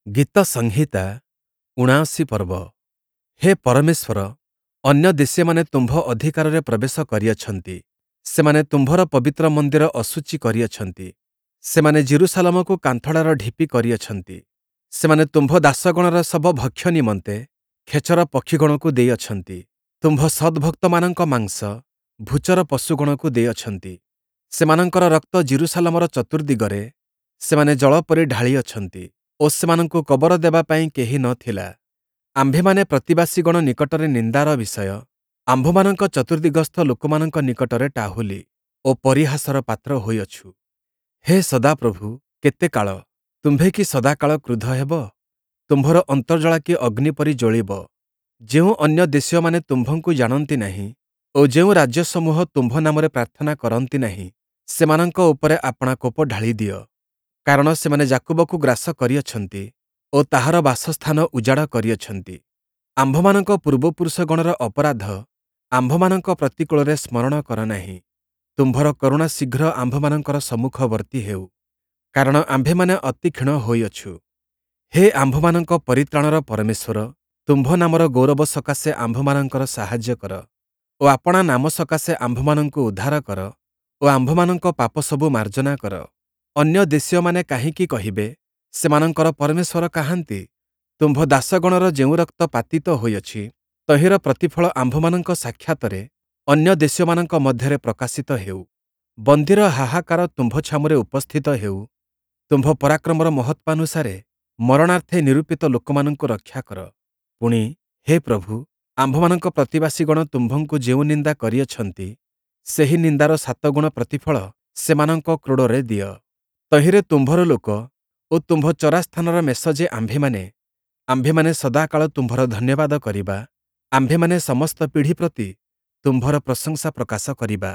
ଗୀତସଂହିତା 79 ପର୍ବ। ହେ ପରମେଶ୍ୱର, ଅନ୍ୟ ଦେଶୀୟମାନେ ତୁମ୍ଭ ଅଧିକାରରେ ପ୍ରବେଶ କରିଅଛନ୍ତି, ସେମାନେ ତୁମ୍ଭର ପବିତ୍ର ମନ୍ଦିର ଅଶୁଚି କରିଅଛନ୍ତି, ସେମାନେ ଯିରୂଶାଲମକୁ କାନ୍ଥଡ଼ାର ଢିପି କରିଅଛନ୍ତି। ସେମାନେ ତୁମ୍ଭ ଦାସଗଣର ଶବ ଭକ୍ଷ୍ୟ ନିମନ୍ତେ ଖେଚର ପକ୍ଷିଗଣକୁ ଦେଇଅଛନ୍ତି, ତୁମ୍ଭ ସଦ୍ଭକ୍ତମାନଙ୍କ ମାଂସ ଭୂଚର ପଶୁଗଣକୁ ଦେଇଅଛନ୍ତି। ସେମାନଙ୍କର ରକ୍ତ ଯିରୂଶାଲମର ଚତୁର୍ଦ୍ଦିଗରେ ସେମାନେ ଜଳ ପରି ଢାଳିଅଛନ୍ତି ଓ ସେମାନଙ୍କୁ କବର ଦେବା ପାଇଁ କେହି ନ ଥିଲା। ଆମ୍ଭେମାନେ ପ୍ରତିବାସୀଗଣ ନିକଟରେ ନିନ୍ଦାର ବିଷୟ, ଆମ୍ଭମାନଙ୍କ ଚତୁର୍ଦ୍ଦିଗସ୍ଥ ଲୋକମାନଙ୍କ ନିକଟରେ ଟାହୁଲି ଓ ପରିହାସର ପାତ୍ର ହୋଇଅଛୁ। ହେ ସଦାପ୍ରଭୁ, କେତେ କାଳ? ତୁମ୍ଭେ କି ସଦାକାଳ କ୍ରୁଦ୍ଧ ହେବ? ତୁମ୍ଭର ଅନ୍ତର୍ଜ୍ୱାଳା କି ଅଗ୍ନି ପରି ଜ୍ୱଳିବ? ଯେଉଁ ଅନ୍ୟ ଦେଶୀୟମାନେ ତୁମ୍ଭଙ୍କୁ ଜାଣନ୍ତି ନାହିଁ ଓ ଯେଉଁ ରାଜ୍ୟସମୂହ ତୁମ୍ଭ ନାମରେ ପ୍ରାର୍ଥନା କରନ୍ତି ନାହିଁ, ସେମାନଙ୍କ ଉପରେ ଆପଣା କୋପ ଢାଳିଦିଅ। କାରଣ ସେମାନେ ଯାକୁବକୁ ଗ୍ରାସ କରିଅଛନ୍ତି ଓ ତାହାର ବାସସ୍ଥାନ ଉଜାଡ଼ କରିଅଛନ୍ତି। ଆମ୍ଭମାନଙ୍କ ପୂର୍ବପୁରୁଷଗଣର ଅପରାଧ ଆମ୍ଭମାନଙ୍କ ପ୍ରତିକୂଳରେ ସ୍ମରଣ କର ନାହିଁ। ତୁମ୍ଭର କରୁଣା ଶୀଘ୍ର ଆମ୍ଭମାନଙ୍କର ସମ୍ମୁଖବର୍ତ୍ତୀ ହେଉ, କାରଣ ଆମ୍ଭେମାନେ ଅତି କ୍ଷୀଣ ହୋଇଅଛୁ। ହେ ଆମ୍ଭମାନଙ୍କ ପରିତ୍ରାଣର ପରମେଶ୍ୱର, ତୁମ୍ଭ ନାମର ଗୌରବ ସକାଶେ ଆମ୍ଭମାନଙ୍କର ସାହାଯ୍ୟ କର ଓ ଆପଣା ନାମ ସକାଶେ ଆମ୍ଭମାନଙ୍କୁ ଉଦ୍ଧାର କର ଓ ଆମ୍ଭମାନଙ୍କ ପାପସବୁ ମାର୍ଜନା କର। ଅନ୍ୟ ଦେଶୀୟମାନେ କାହିଁକି କହିବେ, ସେମାନଙ୍କର ପରମେଶ୍ୱର କାହାନ୍ତି? ତୁମ୍ଭ ଦାସଗଣର ଯେଉଁ ରକ୍ତ ପାତିତ ହୋଇଅଛି, ତହିଁର ପ୍ରତିଫଳ ଆମ୍ଭମାନଙ୍କ ସାକ୍ଷାତରେ ଅନ୍ୟ ଦେଶୀୟମାନଙ୍କ ମଧ୍ୟରେ ପ୍ରକାଶିତ ହେଉ। ବନ୍ଦୀର ହାହାକାର ତୁମ୍ଭ ଛାମୁରେ ଉପସ୍ଥିତ ହେଉ। ତୁମ୍ଭ ପରାକ୍ରମର ମହତ୍ତ୍ୱାନୁସାରେ ମରଣାର୍ଥେ ନିରୂପିତ ଲୋକମାନଙ୍କୁ ରକ୍ଷା କର। ପୁଣି, ହେ ପ୍ରଭୁ, ଆମ୍ଭମାନଙ୍କ ପ୍ରତିବାସୀଗଣ ତୁମ୍ଭଙ୍କୁ ଯେଉଁ ନିନ୍ଦା କରିଅଛନ୍ତି, ସେହି ନିନ୍ଦାର ସାତଗୁଣ ପ୍ରତିଫଳ ସେମାନଙ୍କ କ୍ରୋଡ଼ରେ ଦିଅ। ତହିଁରେ ତୁମ୍ଭର ଲୋକ ଓ ତୁମ୍ଭ ଚରାସ୍ଥାନର ମେଷ ଯେ ଆମ୍ଭେମାନେ, ଆମ୍ଭେମାନେ ସଦାକାଳ ତୁମ୍ଭର ଧନ୍ୟବାଦ କରିବା, ଆମ୍ଭେମାନେ ସମସ୍ତ ପିଢ଼ି ପ୍ରତି ତୁମ୍ଭର ପ୍ରଶଂସା ପ୍ରକାଶ କରିବା।